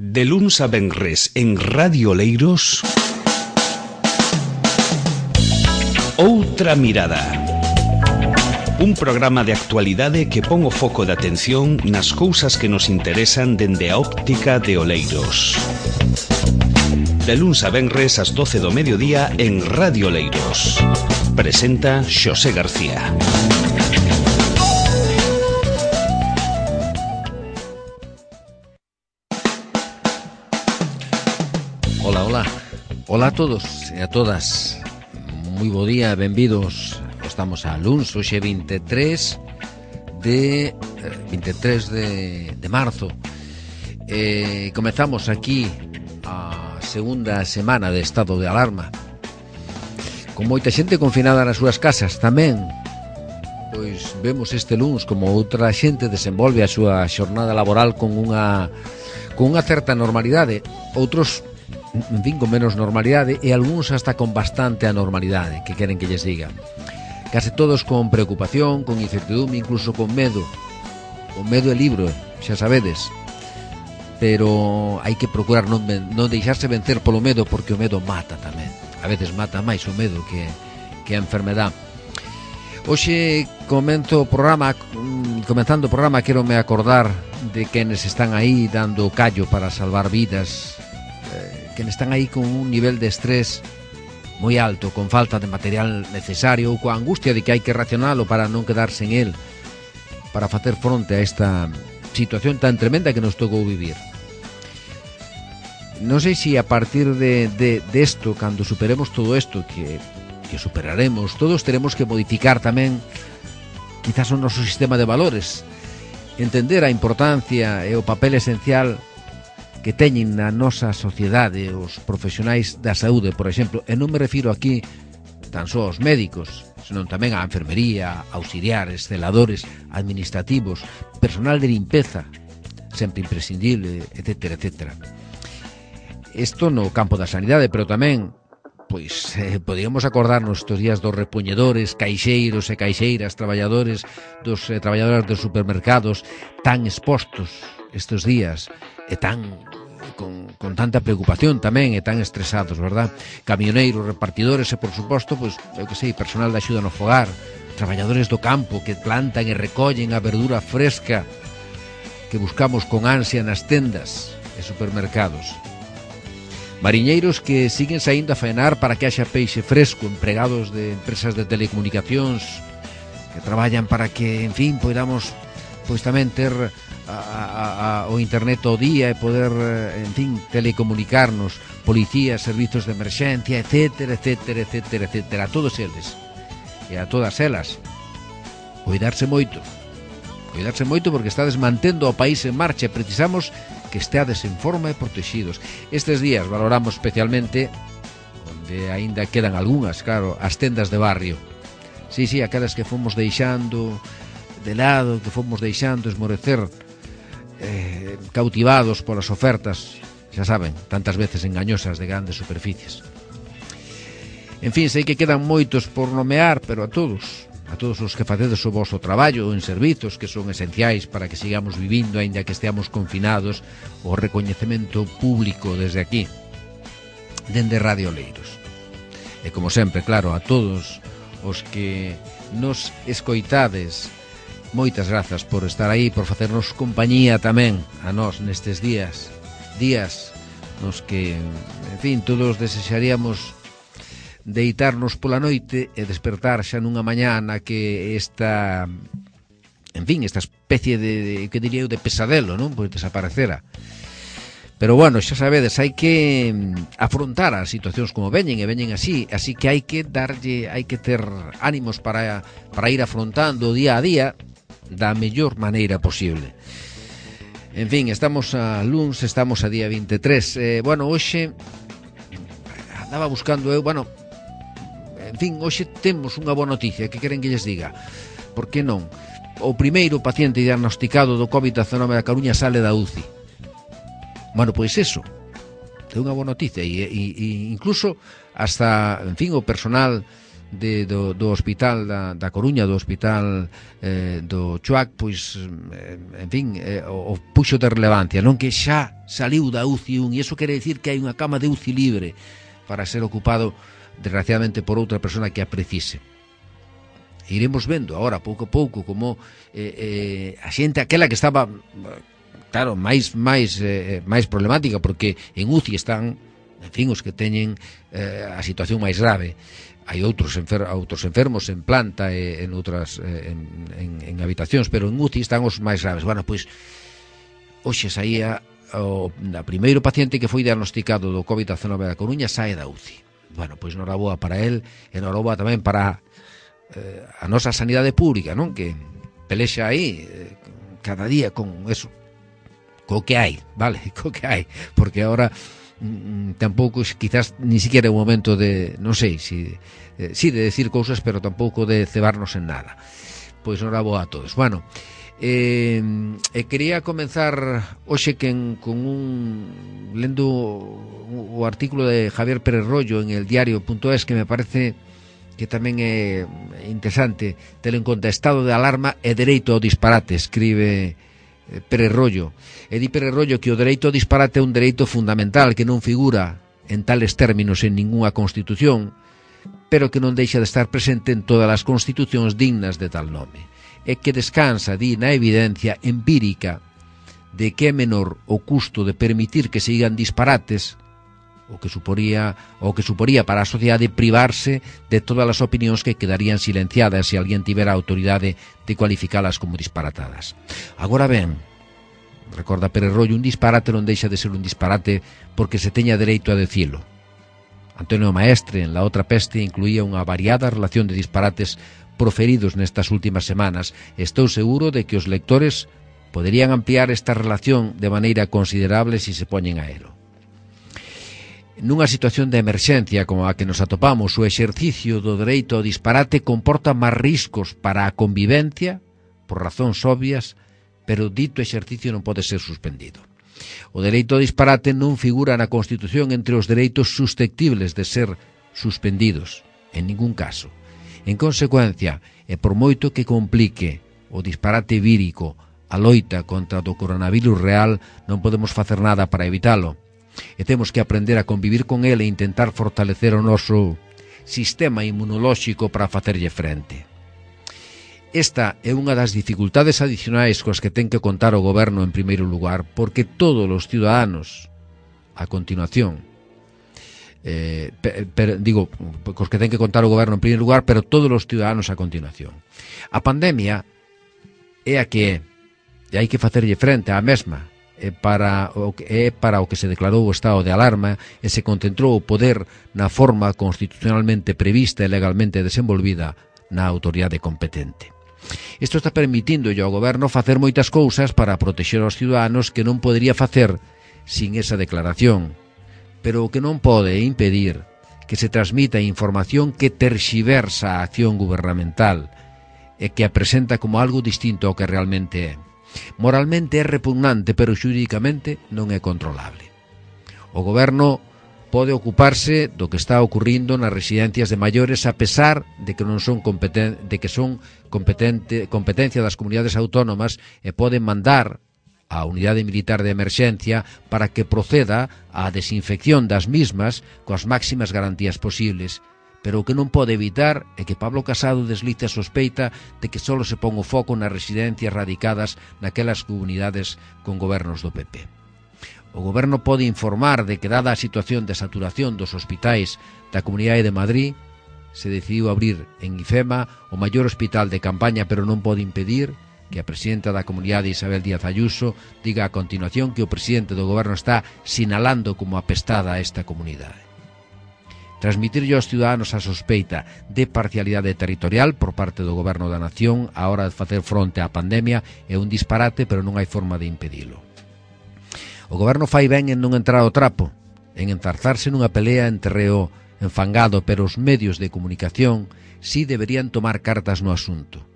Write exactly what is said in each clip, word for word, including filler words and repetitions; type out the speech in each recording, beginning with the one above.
De luns a venres en Radio Oleiros, Outra Mirada. Un programa de actualidade que pon o foco de atención nas cousas que nos interesan dende a óptica de Oleiros. De luns a venres ás doce do mediodía en Radio Oleiros. Presenta Xosé García. Ola, ola. Ola a todos e a todas. Moi bo día, benvidos. Estamos a luns, hoxe vinte e tres de vinte e tres de, de marzo. Eh, comezamos aquí a segunda semana de estado de alarma, con moita xente confinada nas súas casas. Tamén pois vemos este luns como outra xente desenvolve a súa xornada laboral con unha con unha certa normalidade, outros en fin, con menos normalidade e algúns hasta con bastante anormalidade, que queren que lles diga. Case todos con preocupación, con incertidumbre, incluso con medo. O medo é libro, xa sabedes. Pero hai que procurar non, non deixarse vencer polo medo, porque o medo mata tamén. A veces mata máis o medo que, que a enfermedad. Hoxe comento o programa, comenzando o programa, quero me acordar de quenes están aí dando callo para salvar vidas, que están aí con un nivel de estrés moi alto, con falta de material necesario ou coa angustia de que hai que racionalo para non quedarse en el, para facer fronte a esta situación tan tremenda que nos tocou vivir. Non sei se a partir de, de, de esto, cando superemos todo isto, que, que superaremos, todos teremos que modificar tamén quizás o noso sistema de valores, entender a importancia e o papel esencial que teñen na nosa sociedade os profesionais da saúde, por exemplo, e non me refiro aquí tan só aos médicos, senón tamén á enfermería, auxiliares, celadores, administrativos, personal de limpeza, sempre imprescindible, etcétera, etcétera. Isto no campo da sanidade, pero tamén, pois, eh, podíamos acordarnos estes días dos repoñedores, caixeiros e caixeiras, traballadores dos eh, traballadores dos supermercados, tan expostos estes días, e tan con, con tanta preocupación tamén, e tan estresados, verdad? Camioneiros, repartidores e, por suposto, pois, eu que sei, personal de axuda no fogar, traballadores do campo que plantan e recollen a verdura fresca que buscamos con ansia nas tendas e supermercados. Mariñeiros que siguen saindo a faenar para que haxa peixe fresco, empregados de empresas de telecomunicacións que traballan para que, en fin, poidamos pois tamén ter a, a, a, o internet ao día e poder, en fin, telecomunicarnos, policías, servizos de emerxencia, etcétera, etcétera, etcétera, etcétera, a todos eles e a todas elas. Cuidarse moito, cuidarse moito porque estades mantendo o país en marcha e precisamos que esteades en forma e protegidos. Estes días valoramos especialmente, onde aínda quedan algunhas, claro, as tendas de barrio. Sí, sí, aquelas que fomos deixando de lado, que fomos deixando esmorecer, eh, cautivados polas ofertas, xa saben, tantas veces engañosas de grandes superficies. En fin, sei que quedan moitos por nomear, pero a todos, a todos os que facedes o vosso traballo en servizos que son esenciais para que sigamos vivindo, aínda que esteamos confinados, o recoñecemento público desde aquí, dende Radio Oleiros. E como sempre, claro, a todos os que nos escoitades, moitas grazas por estar aí, por facernos compañía tamén a nós nestes días, días nos que, en fin, todos desexaríamos deitarnos pola noite e despertar xa nunha mañá na que esta, en fin, esta especie de, de que diría eu, de pesadelo, non? Pois desaparecera. Pero bueno, xa sabedes, hai que afrontar as situacións como veñen e veñen así, así que hai que darlle, hai que ter ánimos para, para ir afrontando día a día da mellor maneira posible. En fin, estamos a luns, estamos a día vinte e tres. Eh, bueno, hoxe andaba buscando eu, bueno, en fin, hoxe temos unha boa noticia, que queren que lles diga? Por que non? O primeiro paciente diagnosticado do covid diecinueve da Coruña sale da U C I. Bueno, pois eso, é unha boa noticia e, e, e incluso hasta, en fin, o personal de, do, do hospital da, da Coruña, do hospital eh, do Chuac, pois, eh, en fin, eh, o, o puxo de relevancia, non, que xa saliu da U C I un, e iso quere dicir que hai unha cama de U C I libre para ser ocupado, desgraciadamente, por outra persona que a precise. E iremos vendo agora, pouco a pouco, como eh, eh, a xente aquela que estaba, claro, máis máis eh, máis problemática, porque en U C I están, en fin, os que teñen eh, a situación máis grave. Hai outros, enfer outros enfermos en planta e en outras eh, en, en, en habitacións, pero en U C I están os máis graves. Bueno, pois hoxe saía o da primeiro paciente que foi diagnosticado do covid diecinueve da Coruña, sae da U C I. Bueno, pois noraboa para el e noraboa tamén para eh, a nosa sanidade pública, non? Que pelexa aí eh, cada día con eso, co que hai, vale? Co que hai, porque agora tampouco, quizás ni siquiera é un momento de, non sei, si, eh, si de decir cousas, pero tampouco de cebarnos en nada. Pois non boa a todos. Bueno, eh, eh, quería comenzar hoxe que en, con un lendo o artículo de Javier Pérez Rollo en el diario punto es, que me parece que tamén é interesante telo en conta. Estado de alarma e dereito ao disparate, escribe Pérez Rollo. E di Pérez Rollo que o dereito ao disparate é un dereito fundamental que non figura en tales términos en ningunha constitución, pero que non deixa de estar presente en todas as constitucións dignas de tal nome, e que descansa, di, na evidencia empírica de que é menor o custo de permitir que se digan disparates o que suporía o que suporía para a sociedade privarse de todas as opinións que quedarían silenciadas se alguén tivera a autoridade de cualificalas como disparatadas. Agora ben, recorda Pérez Rollo, un disparate non deixa de ser un disparate porque se teña dereito a decilo. Antonio Maestre, en La Otra Peste, incluía unha variada relación de disparates proferidos nestas últimas semanas. Estou seguro de que os lectores poderían ampliar esta relación de maneira considerable se se poñen a elo. Nunha situación de emerxencia como a que nos atopamos, o exercicio do dereito ao disparate comporta máis riscos para a convivencia, por razóns obvias, pero dito exercicio non pode ser suspendido. O dereito ao disparate non figura na Constitución entre os dereitos susceptibles de ser suspendidos, en ningún caso. En consecuencia, e por moito que complique o disparate vírico a loita contra o coronavirus real, non podemos facer nada para evitalo. E temos que aprender a convivir con ele e intentar fortalecer o noso sistema inmunolóxico para facerlle frente. Esta é unha das dificultades adicionais coas que ten que contar o goberno en primeiro lugar, porque todos os ciudadanos, a continuación, eh, per, per, digo, cos que ten que contar o goberno en primeiro lugar, pero todos os ciudadanos a continuación. A pandemia é a que é, e hai que facerlle frente á mesma, é para o que, é para o que se declarou o estado de alarma e se concentrou o poder na forma constitucionalmente prevista e legalmente desenvolvida na autoridade competente. Isto está permitindo ao goberno facer moitas cousas para protexer aos ciudadanos que non podería facer sin esa declaración, pero o que non pode impedir que se transmita información que terxiversa a acción gubernamental e que a presenta como algo distinto ao que realmente é. Moralmente é repugnante, pero xurídicamente non é controlable. O goberno pode ocuparse do que está ocurrindo nas residencias de maiores a pesar de que non son competen de que son competente competencia das comunidades autónomas e poden mandar a unidade militar de emerxencia para que proceda á desinfección das mismas coas máximas garantías posibles. Pero o que non pode evitar é que Pablo Casado deslice a sospeita de que só se pon o foco nas residencias radicadas naquelas comunidades con gobernos do P P. O goberno pode informar de que, dada a situación de saturación dos hospitais da Comunidade de Madrid, se decidiu abrir en IFEMA o maior hospital de campaña, pero non pode impedir que a presidenta da Comunidade, Isabel Díaz Ayuso, diga a continuación que o presidente do goberno está sinalando como apestada a esta comunidade. Transmitirlle aos ciudadanos a sospeita de parcialidade territorial por parte do goberno da nación á hora de facer fronte á pandemia é un disparate, pero non hai forma de impedilo. O goberno fai ben en non entrar ao trapo, en enzarzarse nunha pelea en terreo enfangado, pero os medios de comunicación si deberían tomar cartas no asunto.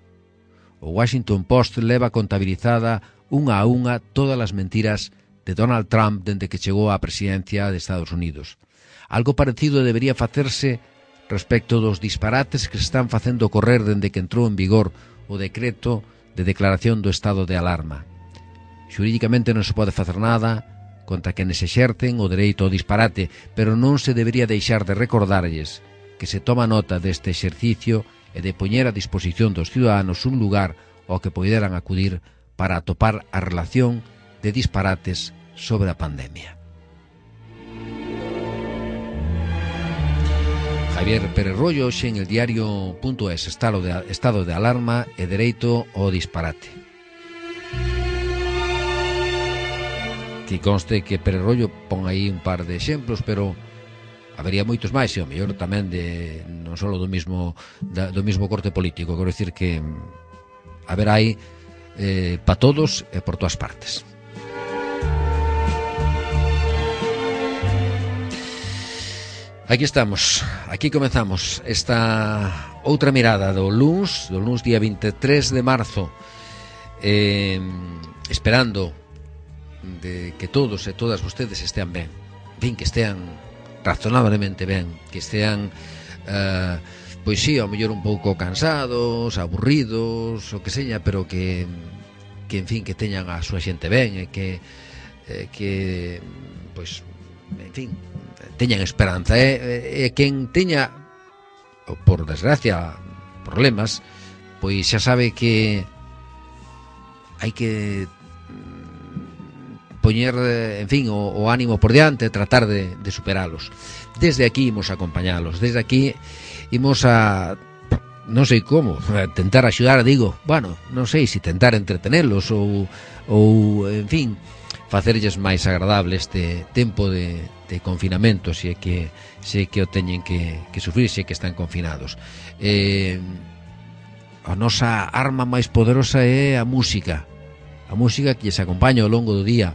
O Washington Post leva contabilizada unha a unha todas as mentiras de Donald Trump dende que chegou á presidencia de Estados Unidos. Algo parecido debería facerse respecto dos disparates que se están facendo correr dende que entrou en vigor o decreto de declaración do estado de alarma. Xurídicamente non se pode facer nada contra quenes exercen o dereito ao disparate, pero non se debería deixar de recordarlles que se toma nota deste exercicio e de poñer a disposición dos ciudadanos un lugar ao que poideran acudir para atopar a relación de disparates sobre a pandemia. Javier Pérez Rollo, hoxe en el diario punto es, estado de, estado de alarma e dereito ao disparate. Que conste que Pérez Rollo pon aí un par de exemplos, pero habería moitos máis, e o mellor tamén de non só do mismo da, do mismo corte político. Quero dicir que haberá aí eh, pa todos e por todas partes. Aquí estamos, aquí comezamos esta outra mirada do luns, do luns día veintitrés de marzo, eh, esperando de que todos e todas vostedes estean ben, ben, que estean razonablemente ben, que estean, eh, pois sí, ao mellor un pouco cansados, aburridos, o que seña, pero que, que en fin, que teñan a súa xente ben, e que, eh, que, pois, en fin, teñan esperanza, e, e quen teña, por desgracia, problemas, pois xa sabe que hai que poñer, en fin, o, o ánimo por diante, tratar de, de superalos. Desde aquí imos a acompañalos, desde aquí imos a, non sei como, a tentar axudar, digo, bueno, non sei se tentar entretenelos ou, ou en fin, facerlles máis agradable este tempo de, de confinamento, se é que, se é que o teñen que, que sufrir, se é que están confinados. Eh, a nosa arma máis poderosa é a música, a música que lles acompaña ao longo do día,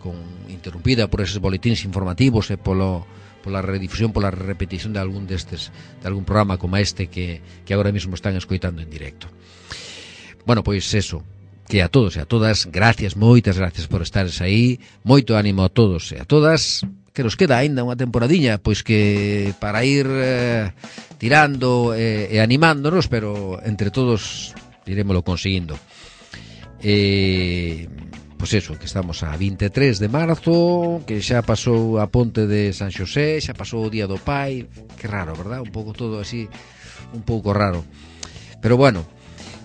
con interrumpida por eses boletíns informativos e polo, pola redifusión, pola repetición de algún destes, de algún programa como este que, que agora mesmo están escoitando en directo. Bueno, pois eso, que a todos e a todas, gracias, moitas gracias por estares aí, moito ánimo a todos e a todas, que nos queda aínda unha temporadiña, pois que para ir eh, tirando e, e animándonos, pero entre todos irémoslo conseguindo. E, pois eso, que estamos a veintitrés de marzo, que xa pasou a ponte de San Xosé, xa pasou o Día do Pai, que raro, verdad? Un pouco todo así, un pouco raro. Pero bueno,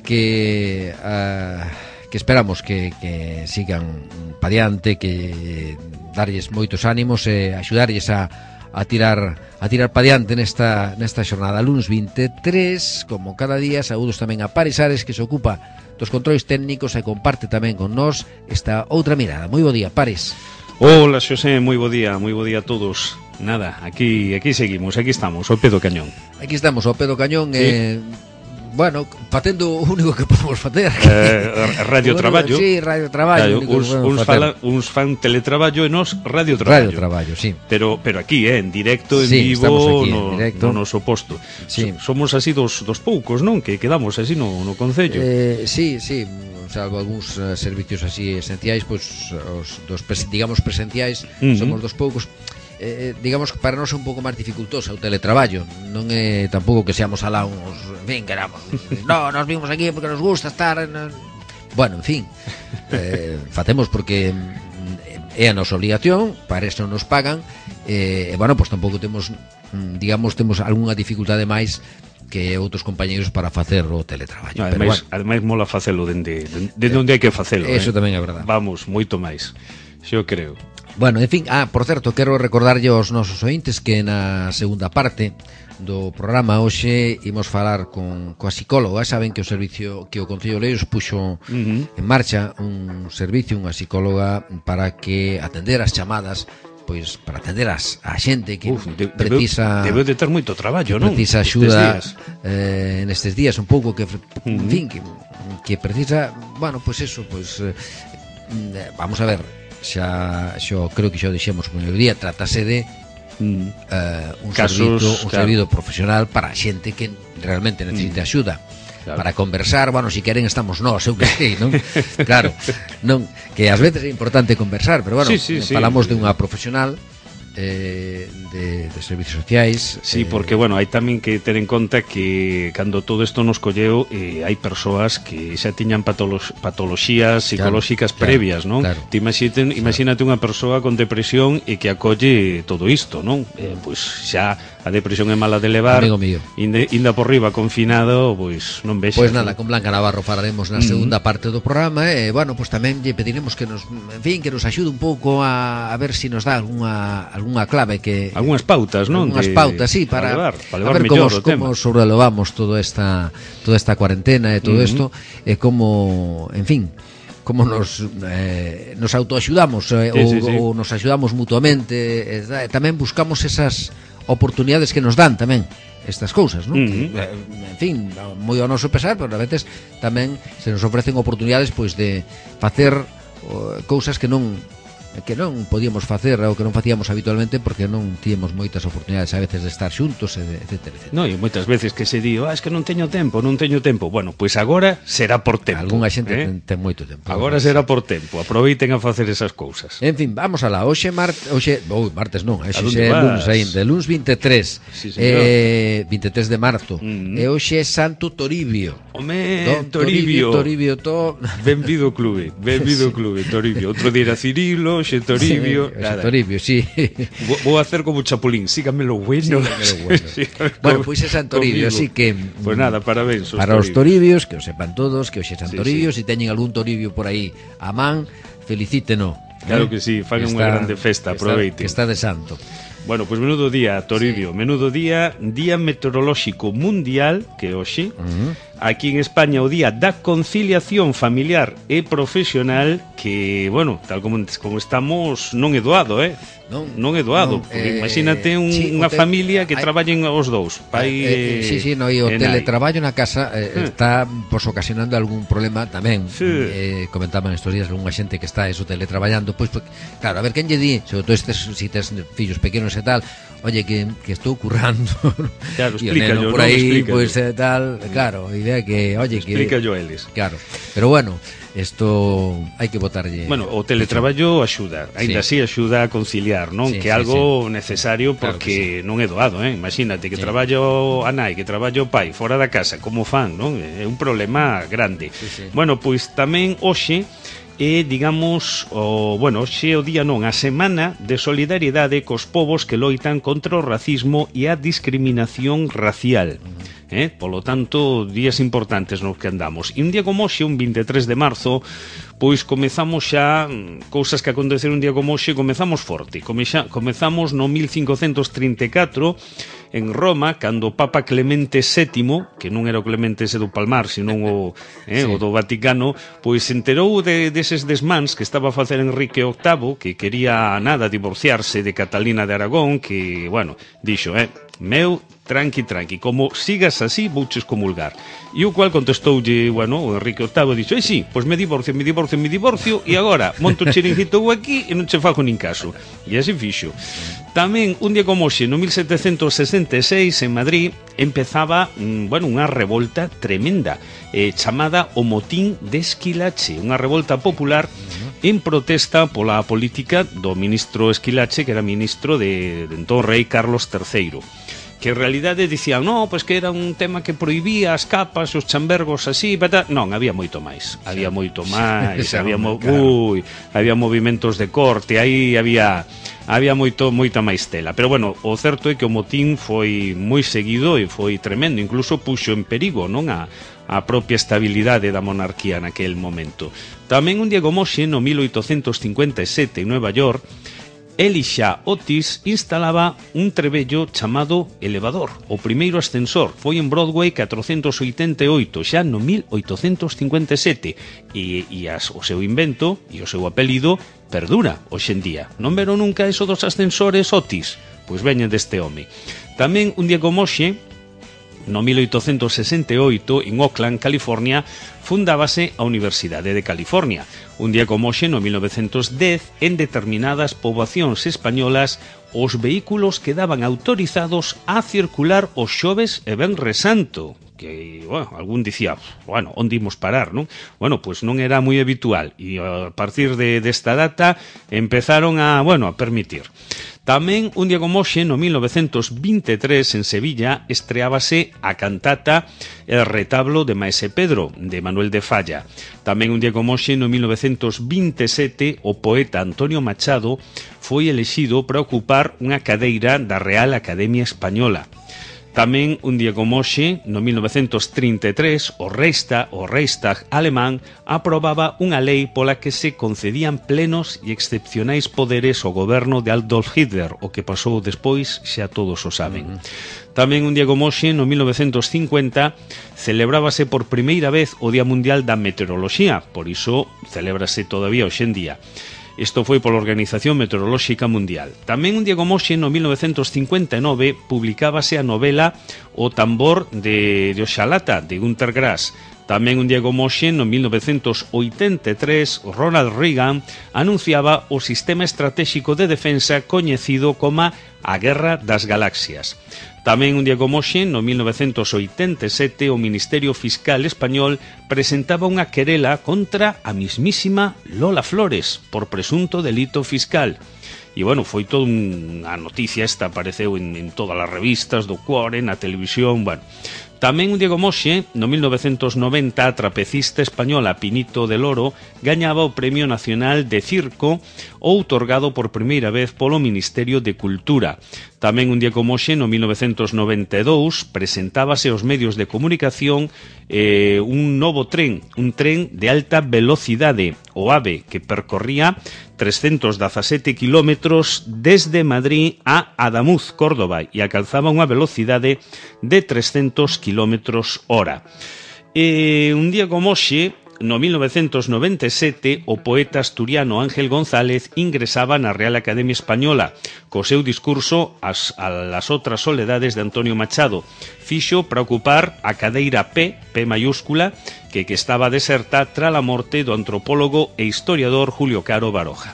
que uh, que esperamos que, que sigan pa diante, que darlles moitos ánimos e axudarlles a, a tirar a tirar pa diante nesta, nesta xornada. Luns veintitrés, como cada día, saúdos tamén a Paris Ares, que se ocupa dos controis técnicos e comparte tamén con nós esta outra mirada. Moi bo día, Paris. Hola, Xosé, moi bo día, moi bo día a todos. Nada, aquí aquí seguimos, aquí estamos, ao pé do cañón. Aquí estamos, ao pé do cañón, sí. eh, bueno, facendo o único que podemos facer. Eh, radio bueno, traballo. Sí, radio traballo. Claro, uns, uns, fala, uns fan teletraballo e nos radio traballo. Radio traballo, sí. Pero pero aquí, eh, en directo, en sí, vivo, aquí, no, en directo. no noso posto. Sí. Somos así dos, dos poucos, non? Que quedamos así no, no concello. Eh, sí, sí, salvo algúns uh, servicios así esenciais, pois pues, os dos digamos presenciais, uh-huh. Somos dos poucos. Eh, digamos que para nós é un pouco máis dificultoso o teletraballo, non é tampouco que seamos alá uns, en fin, queramos, no, nos vimos aquí porque nos gusta estar en... Bueno, en fin, eh, facemos porque é a nosa obligación, para eso nos pagan, e eh, bueno, pois pues, tampouco temos, digamos, temos algunha dificultade máis que outros compañeiros para facer o teletraballo. No, ademais, bueno, ademais mola facelo dende, dende eh, onde hai que facelo. Eso eh? tamén é verdade. Vamos, moito máis, xo creo. Bueno, en fin, ah, por certo, quero recordarlle aos nosos ointes que na segunda parte do programa hoxe imos falar con coa psicóloga. Saben que o servicio que o Concello de Oleiros puxo uh-huh. en marcha un servicio, unha psicóloga para que atender as chamadas, pois para atender as, a xente que Uf, de, precisa debe de ter moito traballo, non? Precisa axuda eh, nestes días un pouco que uh-huh. en fin, que, que precisa, bueno, pois eso, pois eh, vamos a ver, xa xo creo que xa o dixemos no día, trátase de mm. uh, un Casos, servizo un claro. servizo profesional para a xente que realmente necesita mm. axuda, claro. Para conversar, bueno, si queren estamos nós, eu que sei, non? Claro, non, que ás veces é importante conversar, pero bueno, sí, sí, falamos sí. de unha profesional eh, de, de servicios sociais. Sí, eh, porque, bueno, hai tamén que ter en conta que cando todo isto nos colleu, eh, hai persoas que xa tiñan patolo- patoloxías psicolóxicas claro, previas, non? claro. Te imagínate, imagínate unha persoa con depresión e que acolle todo isto, non? Eh, pois xa a depresión é mala de levar. Amigo mío. Inde, inda por riba confinado, pois non vexas. Pois nada, con Blanca Navarro falaremos na segunda uh-huh. parte do programa e, eh, bueno, pois tamén lle pediremos que nos, en fin, que nos axude un pouco a, a ver se si nos dá algunha, algunha clave que... Algúnas pautas, non? Algúnas de, pautas, sí, para, para levar, para levar a ver mellor como, o tema. como sobrelevamos toda esta, toda esta cuarentena e todo isto uh-huh. e como, en fin, como nos eh, nos autoaxudamos eh, sí, ou, sí, sí. ou nos axudamos mutuamente, eh, tamén buscamos esas oportunidades que nos dan tamén estas cousas, non? Uh-huh. Que, eh, en fin, moi ao noso pesar, pero a veces tamén se nos ofrecen oportunidades pois de facer uh, cousas que non que non podíamos facer ou que non facíamos habitualmente porque non tíamos moitas oportunidades a veces de estar xuntos, etcétera, etcétera. No, e moitas veces que se di, ah, es que non teño tempo, non teño tempo. Bueno, pois pues agora será por tempo. Algúnha xente eh? ten, ten moito tempo. Agora será por tempo. Aproveiten a facer esas cousas. En fin, vamos alá. Hoxe martes, hoxe, oh, martes non, hoxe é lunes aínda, lunes vinte e tres. Sí, eh, vinte e tres de marzo. Mm. E hoxe é Santo Toribio. Home, Don Toribio. Toribio, to... Benvido clube, benvido sí. clube, Toribio. Outro día era Cirilo, xe Toribio. Sí, nada. Toribio, sí. Vou, vou hacer como Chapulín, síganme lo bueno. Síganme lo bueno. Sí, bueno, pois é San Toribio, así que... Pois pues nada, parabéns. Para os Toribios, que o sepan todos, que hoxe é San sí, Toribio, sí. se si teñen algún Toribio por aí a man, felicíteno. Claro que sí, fan unha grande festa, aproveiten. Que está de santo. Bueno, pois pues menudo día, Toribio, sí. menudo día, Día Meteorolóxico Mundial, que hoxe, uh-huh. aquí en España o Día da Conciliación Familiar e Profesional, que, bueno, tal como, como estamos, non é doado, eh? Non, non é doado, non, porque eh, imagínate un, sí, unha te... familia que hay... traballen os dous, pai eh, eh, sí, sí, no, e o teletraballo na casa eh, eh. está pues, ocasionando algún problema tamén. Sí. Eh, comentaban estos días algunha xente que está eso teletraballando, pois pues, claro, a ver quen lle di, sobre todo estes, si tes fillos pequenos e tal, oye, que, que estou currando. Claro, e o neno por aí, pois pues, tal, claro, a idea que, oye, que explica yo eles. Claro. Pero bueno, isto hai que botarlle. Bueno, o teletraballo axuda, aínda así sí. axuda a conciliar, non? Sí, que é sí, algo sí. necesario porque claro sí. non é doado, eh? Imagínate que sí. traballo a nai, que traballo o pai fora da casa, como fan, non? É un problema grande. Sí, sí. Bueno, pois tamén hoxe e, digamos, o, bueno, xe o día non, a semana de solidariedade cos povos que loitan contra o racismo e a discriminación racial. Eh? Polo tanto, días importantes nos que andamos. E un día como hoxe, un vinte e tres de marzo, pois comezamos xa cousas que aconteceron un día como hoxe, comezamos forte. Comexa, comezamos no mil cincocentos trinta e catro en Roma, cando o Papa Clemente sétimo, que non era o Clemente ese do Palmar, senón o, eh, sí. o do Vaticano, pois se enterou de, deses desmans que estaba a facer Enrique octavo, que quería nada divorciarse de Catalina de Aragón, que, bueno, dixo, eh, meu, tranqui, tranqui, como sigas así, vouches comulgar. E o cual contestoulle, bueno, o Enrique octavo dixo, eh, sí, pois me divorcio, me divorcio, me divorcio, e agora monto chiringuito aquí e non che fago nin caso. E así fixo. Tamén, un día como hoxe, no mil setecentos sesenta e seis, en Madrid, empezaba, bueno, unha revolta tremenda, eh, chamada o Motín de Esquilache, unha revolta popular en protesta pola política do ministro Esquilache, que era ministro de, de entón rei Carlos terceiro. Que en realidade dicían, no, pois que era un tema que prohibía as capas, os chambergos así, pata... non, había moito máis, había moito máis, sí, había, mo... Ui, había movimentos de corte, aí había había moito moita máis tela, pero bueno, o certo é que o motín foi moi seguido e foi tremendo, incluso puxo en perigo, non, a a propia estabilidade da monarquía naquel momento. Tamén un día como hoxe, no mil oitocentos cincuenta e sete, en Nueva York, Elisha Otis instalaba un trebello chamado elevador. O primeiro ascensor foi en Broadway catrocentos oitenta e oito, xa no mil oitocentos cincuenta e sete, e, e as, o seu invento e o seu apelido perdura hoxe en día. Non veron nunca eso dos ascensores Otis? Pois veñen deste home. Tamén un día como hoxe, no mil oitocentos sesenta e oito, en Oakland, California, fundábase a Universidade de California. Un día como hoxe, no mil novecentos dez, en determinadas poboacións españolas, os vehículos quedaban autorizados a circular os xoves e venres santo. Que, bueno, algún dicía, bueno, onde imos parar, non? Bueno, pois non era moi habitual, e a partir de desta data empezaron a, bueno, a permitir. Tamén un día como hoxe, no mil novecentos vinte e tres, en Sevilla, estreábase a cantata El retablo de Maese Pedro, de Manuel de Falla. Tamén un día como hoxe, no mil novecentos vinte e sete, o poeta Antonio Machado foi elexido para ocupar unha cadeira da Real Academia Española. Tamén un día como hoxe, no mil novecentos trinta e tres, o Reichstag, o Reichstag alemán aprobaba unha lei pola que se concedían plenos e excepcionais poderes ao goberno de Adolf Hitler, o que pasou despois xa todos o saben. Tamén un día como hoxe, no mil novecentos cincuenta, celebrábase por primeira vez o Día Mundial da Meteoroloxía, por iso celébrase todavía hoxe en día. Isto foi pola Organización Meteorolóxica Mundial. Tamén un día como hoxe, no mil novecentos cincuenta e nove, publicábase a novela O tambor de, de Oxalata, de Günter Grass. Tamén un día como hoxe, no mil novecentos oitenta e tres, Ronald Reagan anunciaba o sistema estratégico de defensa coñecido como a Guerra das Galaxias. Tamén un día como hoxe, no mil novecentos oitenta e sete, o Ministerio Fiscal Español presentaba unha querela contra a mismísima Lola Flores por presunto delito fiscal. E, bueno, foi toda unha noticia, esta apareceu en, en todas as revistas do Cuore, na televisión, bueno. Tamén un día como hoxe, no mil novecentos noventa, a trapecista española Pinito del Oro gañaba o Premio Nacional de Circo, outorgado por primeira vez polo Ministerio de Cultura. Tamén un día como hoxe, no mil novecentos noventa e dous, presentábase aos medios de comunicación eh, un novo tren, un tren de alta velocidade, o AVE, que percorría trescentos dezasete kilómetros desde Madrid a Adamuz, Córdoba, e alcanzaba unha velocidade de trescentos kilómetros hora. E un día como hoxe, no mil novecentos noventa e sete, o poeta asturiano Ángel González ingresaba na Real Academia Española co seu discurso as, a las outras soledades de Antonio Machado. Fixo para ocupar a cadeira P, P mayúscula, que, que estaba deserta tras a morte do antropólogo e historiador Julio Caro Baroja.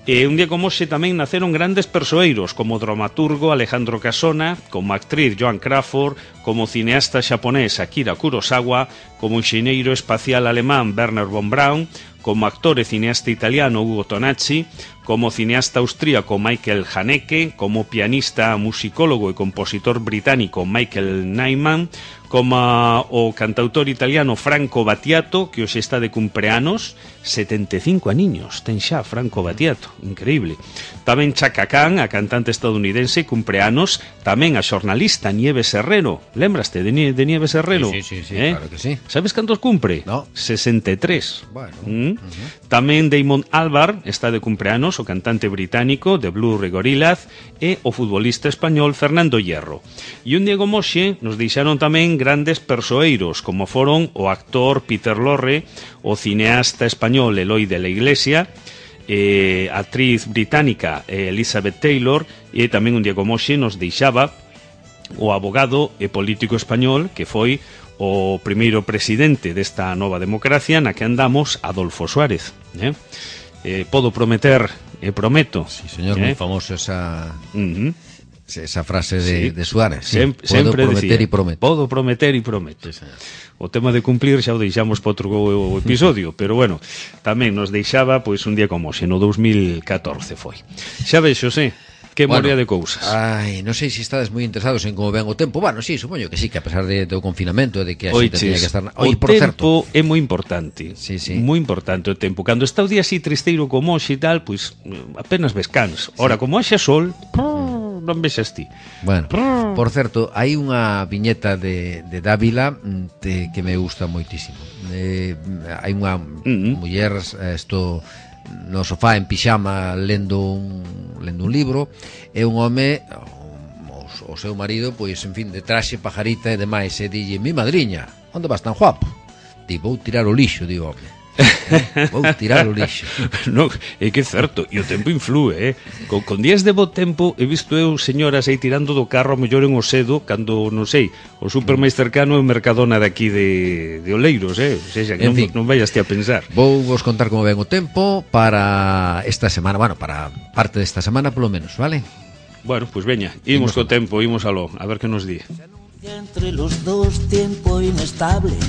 E un día como hoxe tamén naceron grandes persoeiros, como o dramaturgo Alejandro Casona, como a actriz Joan Crawford, como o cineasta xaponés Akira Kurosawa, como o enxeñeiro espacial alemán Werner von Braun, como actor e cineasta italiano Ugo Tonacci, como cineasta austríaco Michael Haneke, como pianista, musicólogo e compositor británico Michael Nyman, como o cantautor italiano Franco Battiato, que hoxe está de cumpleanos, setenta e cinco aniños, ten xa Franco Battiato, increíble. Tamén Chaka Khan, a cantante estadounidense, cumpleanos, tamén a xornalista Nieves Herrero. Lembraste de, Nie de Nieves Herrero? Sí, sí, sí, sí, eh? claro que sí. Sabes cantos cumpre? No. sesenta e tres. Bueno. Mm? Uh-huh. Tamén Damon Albarn está de cumpleanos, o cantante británico de Blue e Gorillaz, e o futbolista español Fernando Hierro. E un día como hoxe nos deixaron tamén grandes persoeiros, como foron o actor Peter Lorre, o cineasta español Eloi de la Iglesia, eh, actriz británica eh, Elizabeth Taylor, e tamén un día como hoxe nos deixaba o abogado e político español que foi o primeiro presidente desta nova democracia na que andamos, Adolfo Suárez. Eh? Eh, podo prometer e prometo. Sí, señor, eh? moi famoso esa... Uh-huh. Esa frase de, sí. de Suárez, sí. Sem, Podo sempre prometer decía, e prometo. Podo prometer e prometo. Sí, o tema de cumplir xa o deixamos para outro episodio, pero bueno, tamén nos deixaba pois un día como hoxe, no dos mil catorce foi. Xa vexo, sí, que bueno, morea de cousas. Ai, non sei se estades moi interesados en como ven o tempo. Bueno, sí, supoño que sí, que a pesar de, do confinamento, de que a xente tiña que estar... Oi, o por tempo certo, é moi importante. Sí, sí. Moi importante o tempo. Cando está o día así tristeiro como hoxe e tal, pois apenas ves cans. Ora, sí. Como hoxe sol... non vexas ti. Bueno, por certo, hai unha viñeta de, de Dávila de, que me gusta moitísimo. Eh, hai unha uh-huh. muller esto no sofá en pixama lendo un, lendo un libro, e un home o, o seu marido, pois, en fin, de traxe, pajarita e demais, e dille: mi madriña, onde vas tan guapo? Di: vou tirar o lixo, di o home. Vou tirar o lixo. No, é que é certo, e o tempo influe, eh? Con, con días de bo tempo he visto eu señoras aí tirando do carro a mellor en Osedo, cando, non sei, o super máis cercano é o Mercadona daqui de, de Oleiros, eh? O sea, que non, fin, non vayas ti a pensar. Vou vos contar como ven o tempo para esta semana, bueno, para parte desta semana polo menos, vale? Bueno, pois pues veña, imos co tempo, imos aló, a ver que nos di. Entre los dos tiempo inestable,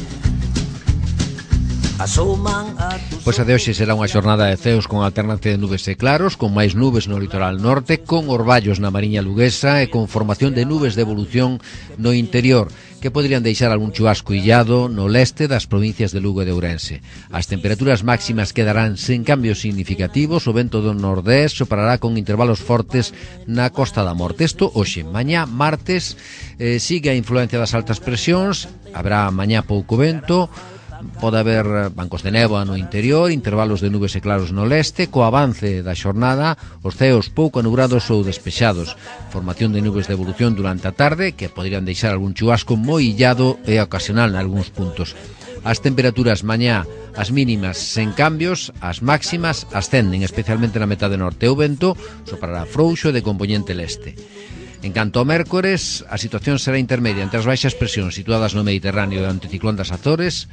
Pois a de hoxe será unha xornada de ceos con alternancia de nubes e claros, con máis nubes no litoral norte, con orballos na Mariña Luguesa e con formación de nubes de evolución no interior, que poderían deixar algún chubasco illado no leste das provincias de Lugo e de Ourense. As temperaturas máximas quedarán sen cambios significativos, o vento do nordés soprará con intervalos fortes na Costa da Morte. Isto hoxe, mañá martes, eh, sigue a influencia das altas presións, haberá mañá pouco vento, pode haber bancos de néboa no interior, intervalos de nubes e claros no leste. Co avance da xornada, os ceos pouco anubrados ou despexados, formación de nubes de evolución durante a tarde que poderían deixar algún chubasco moi illado e ocasional en algúns puntos. As temperaturas mañá, as mínimas sen cambios, as máximas ascenden, especialmente na metade norte. O vento soprará frouxo e de compoñente leste. En canto ao mércores, a situación será intermedia entre as baixas presións situadas no Mediterráneo e o anticiclón das Azores.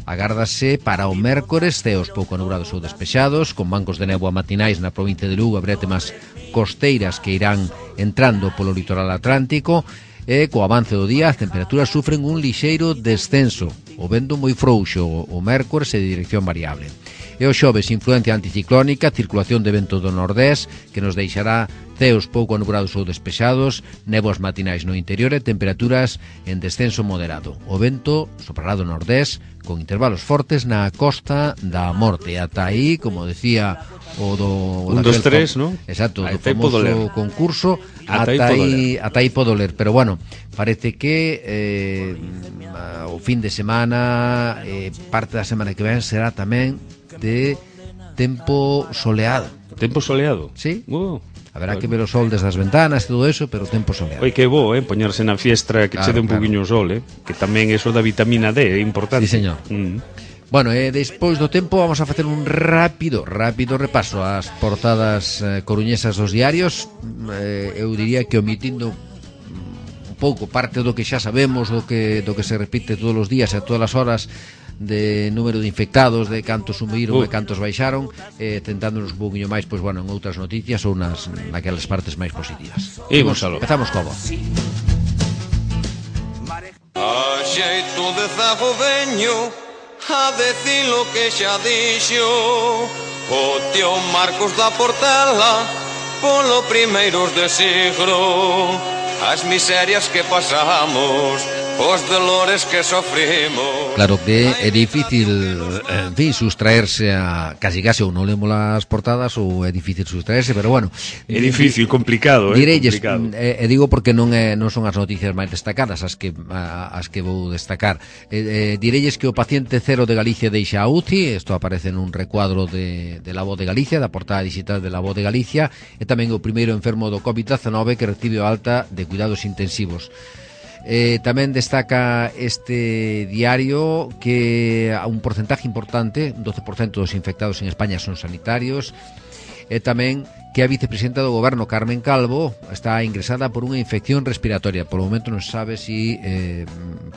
Agárdase para o mércores ceos pouco anubrados ou despexados, con bancos de néboa matinais na provincia de Lugo e brétemas costeiras que irán entrando polo litoral atlántico, e co avance do día as temperaturas sufren un lixeiro descenso, o vento moi frouxo o mércores e de dirección variable. E o xoves, influencia anticiclónica, circulación de vento do nordés, que nos deixará ceos pouco anubrados ou despexados, néboas matinais no interior e temperaturas en descenso moderado. O vento soprará do nordés, con intervalos fortes na Costa da Morte. Ata aí, como decía o do... Un, dos, tres, non? Exacto, do famoso concurso, ata aí, ata aí podo ler. Pero bueno, parece que eh, o fin de semana, eh, parte da semana que ven, será tamén de tempo soleado. Tempo soleado? Sí. Uh, Haberá bueno. que ver o sol desde as ventanas e todo eso, pero tempo soleado. Oi, que bo, eh, poñerse na fiestra que claro, che dé un claro. poquinho o sol, eh, que tamén eso da vitamina D é importante. Sí, señor. Mm. Bueno, e eh, despois do tempo vamos a facer un rápido, rápido repaso ás portadas eh, coruñesas dos diarios. Eh, eu diría que omitindo un pouco parte do que xa sabemos, do que do que se repite todos os días e a todas as horas, de número de infectados, de cantos subiron uh. e cantos baixaron, eh, tentándonos un pouquinho máis, pois bueno, en outras noticias ou nas naquelas partes máis positivas. Imos aló. Empezamos como. A xeito de zago veño a decir lo que xa dixo o tío Marcos da Portela polo primeiros de siglo, as miserias que pasamos, os dolores que sofrimos. Claro que é difícil, en fin, sustraerse a casi casi ou non lemos as portadas ou é difícil sustraerse, pero bueno, é difícil, complicado, eh, direlles, complicado. E, e digo porque non é non son as noticias máis destacadas as que as que vou destacar. E, e, direlles que o paciente cero de Galicia deixa a U C I, isto aparece nun recuadro de, de La Voz de Galicia, da portada digital de La Voz de Galicia, e tamén o primeiro enfermo do covid diecinueve que recibe a alta de cuidados intensivos. Eh, tamén destaca este diario que a un porcentaje importante, un doce por cento dos infectados en España son sanitarios, e tamén que a vicepresidenta do goberno, Carmen Calvo, está ingresada por unha infección respiratoria. Por o momento non se sabe se si, eh,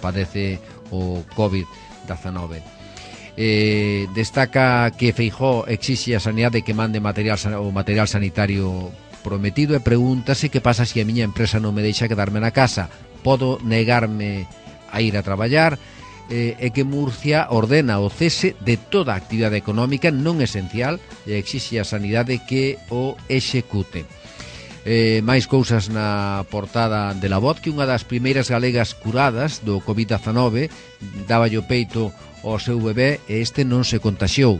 padece o covid diecinueve. Eh, destaca que Feijóo exixe a Sanidade que mande material, o material sanitario prometido, e pregúntase que pasa se a miña empresa non me deixa quedarme na casa. Podo negarme a ir a traballar, eh, e que Murcia ordena o cese de toda a actividade económica non esencial e exixe a Sanidade que o execute. Eh, máis cousas na portada de La Voz, que unha das primeiras galegas curadas do covid diecinueve daba o peito ao seu bebé e este non se contaxiou.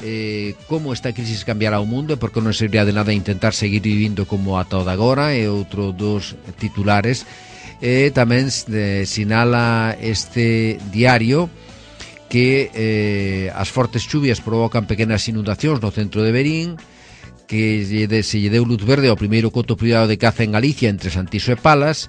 Eh, como esta crisis cambiará o mundo e porque non serviría de nada intentar seguir vivindo como ata o de agora, e outro dos titulares. E tamén eh, sinala este diario que eh, as fortes chuvias provocan pequenas inundacións no centro de Verín, que se lle deu luz verde ao primeiro coto privado de caza en Galicia entre Santiso e Palas,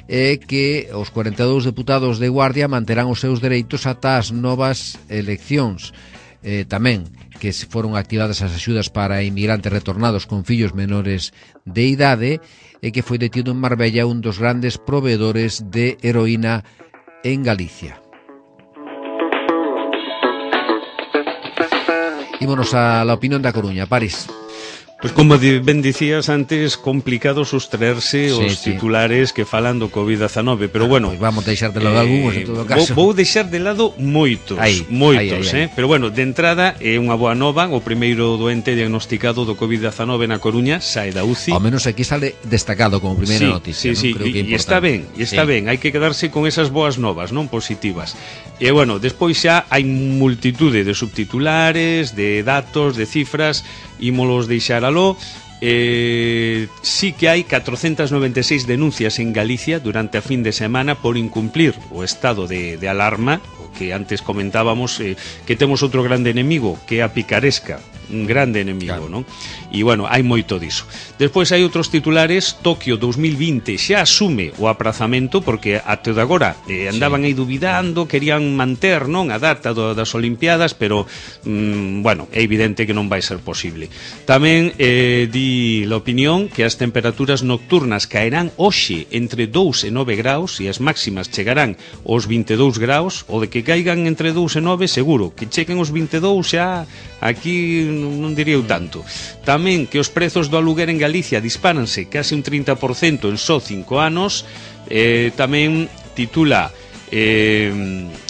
e que os cuarenta e dous deputados de Guardia manterán os seus dereitos ata as novas eleccións. Eh, tamén que foron activadas as axudas para inmigrantes retornados con fillos menores de idade, e que foi detido en Marbella un dos grandes proveedores de heroína en Galicia. Ímonos a la opinión da Coruña, París. Pois como ben dicías antes, complicado sustraerse sí, os sí. titulares que falan do covid dezenove, pero bueno, Pois vamos deixar de lado eh, algúns en todo caso. Vou, vou deixar de lado moitos, aí, moitos, aí, aí, eh? Pero bueno, de entrada é unha boa nova, o primeiro doente diagnosticado do covid dezenove na Coruña sae da U C I. Ao menos aquí sale destacado como primeira sí, noticia, sí, non? sí, Creo que é e está ben, e está sí. ben, hai que quedarse con esas boas novas, non positivas. E bueno, despois xa hai multitude de subtitulares, de datos, de cifras, ímolos deixar aló. Eh, sí que hai catrocentas noventa e seis denuncias en Galicia durante a fin de semana por incumplir o estado de, de alarma, o que antes comentábamos, eh, que temos outro grande enemigo, que é a picaresca, un grande enemigo, claro. Non? E bueno, hai moito diso. Despois hai outros titulares. Tokio dos mil vinte xa asume o aprazamento, porque até de agora eh, andaban sí. aí dubidando, querían manter, non, a data do, das Olimpiadas, pero mm, bueno, é evidente que non vai ser posible. Tamén eh, di la opinión que as temperaturas nocturnas caerán hoxe entre dous e nove graus e as máximas chegarán aos vinte e dous graus, ou de que caigan entre dous e nove seguro, que cheguen aos vinte e dous xa aquí non diría eu tanto. Tamén que os prezos do aluguer en Galicia dispáranse case un trinta por cento en só cinco anos. eh, Tamén titula eh,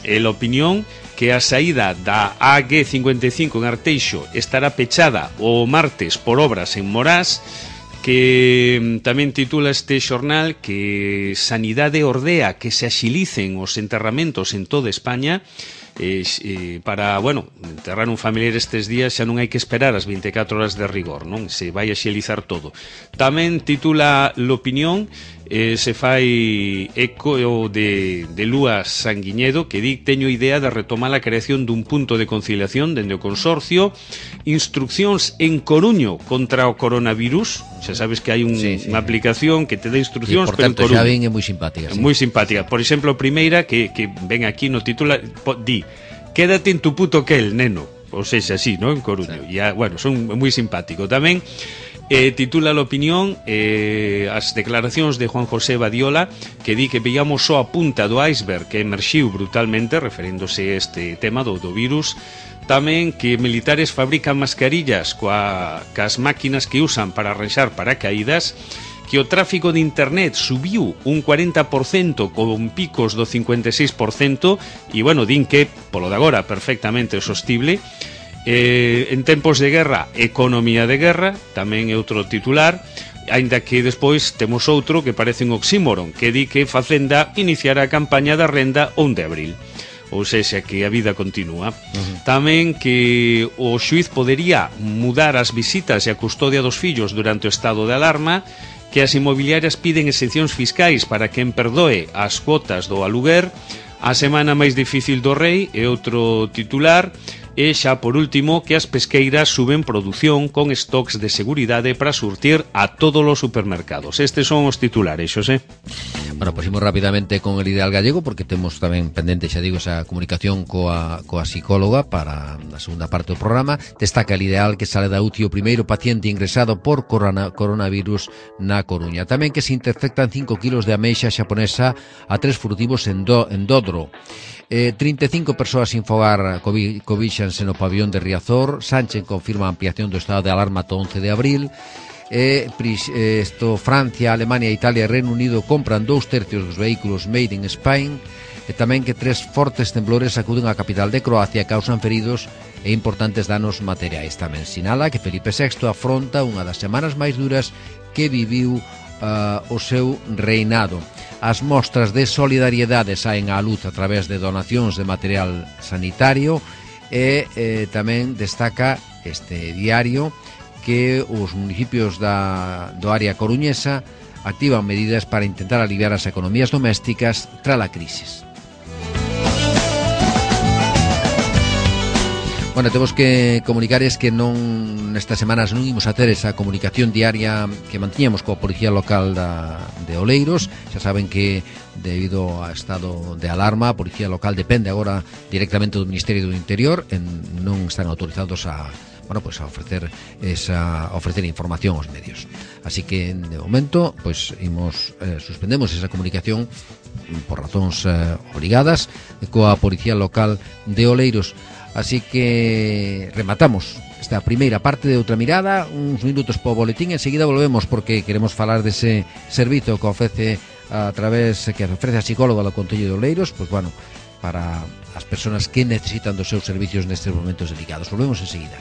el opinión que a saída da A G cincuenta e cinco en Arteixo estará pechada o martes por obras en Morás. Que tamén titula este xornal que Sanidade ordea que se axilicen os enterramentos en toda España. Eh, eh, para, bueno, enterrar un familiar estes días xa non hai que esperar as vinte e catro horas de rigor, non? Se vai a xelizar todo. Tamén titula l'opinión, eh, se fai eco de, de Lúa Sanguiñedo, que di teño idea de retomar a creación dun punto de conciliación dende o consorcio. Instruccións en Coruño contra o coronavirus. Xa sabes que hai un, sí, sí. unha aplicación que te dá instruccións, pero en Coruño xa ven é moi simpática, sí. moi simpática. Por exemplo, a primeira que, que ven aquí no titular, di: quédate en tu puto quel, neno. Ou seja, así, ¿no? En Coruño. Sí. E, bueno, son moi simpático. Tamén eh, titula la opinión eh, as declaracións de Juan José Badiola, que di que veíamos só a punta do iceberg que emerxiu brutalmente, referéndose a este tema do, do virus. Tamén que militares fabrican mascarillas coa, cas máquinas que usan para arranxar paracaídas. Que o tráfico de internet subiu un cuarenta por cento con picos do cincuenta e seis por cento e, bueno, din que, polo de agora, perfectamente sostible. Eh, en tempos de guerra, economía de guerra, tamén é outro titular, aínda que despois temos outro que parece un oxímoron, que di que Facenda iniciará a campaña da renda onde de abril. Ou sexa, que a vida continúa. Uh-huh. Tamén que o xuiz podería mudar as visitas e a custodia dos fillos durante o estado de alarma, que as inmobiliarias piden exencións fiscais para quen perdoe as cuotas do aluguer, a semana máis difícil do rei é outro titular, e xa por último que as pesqueiras suben produción con stocks de seguridade para surtir a todos os supermercados. Estes son os titulares, Xosé. Bueno, pues imos rapidamente con el Ideal Gallego, porque temos tamén pendente, xa digo, esa comunicación coa, coa psicóloga para a segunda parte do programa. Destaca el Ideal que sale da U C I o primeiro paciente ingresado por corona, coronavirus na Coruña. Tamén que se interceptan cinco kilos de ameixa xaponesa a tres furtivos en, do, en Dodro. Eh, trinta e cinco persoas sin fogar cobixanse no pabillón de Riazor. Sánchez confirma a ampliación do estado de alarma ata once de abril. Eh, esto, Francia, Alemania, Italia e Reino Unido compran dous tercios dos vehículos made in Spain. E tamén que tres fortes temblores sacuden a capital de Croacia e causan feridos e importantes danos materiais. Tamén sinala que Felipe sexto afronta unha das semanas máis duras que viviu uh, o seu reinado. As mostras de solidariedade saen á luz a través de donacións de material sanitario e eh, tamén destaca este diario que os municipios da, do área coruñesa activan medidas para intentar aliviar as economías domésticas tras a crisis. Bueno, temos que comunicar es que non nestas semanas non imos a ter esa comunicación diaria que mantiñamos coa Policía Local da, de Oleiros. Xa saben que debido a estado de alarma a Policía Local depende agora directamente do Ministerio do Interior, en, non están autorizados a, bueno, pues a ofrecer esa a ofrecer información aos medios. Así que de momento pues imos eh, suspendemos esa comunicación por razóns eh, obrigadas coa Policía Local de Oleiros. Así que rematamos esta primeira parte de Outra Mirada, uns minutos po boletín, enseguida volvemos porque queremos falar dese servizo que ofrece a través que ofrece a psicóloga do Concello de Oleiros, pois bueno, para as persoas que necesitan dos seus servicios nestes momentos delicados. Volvemos enseguida.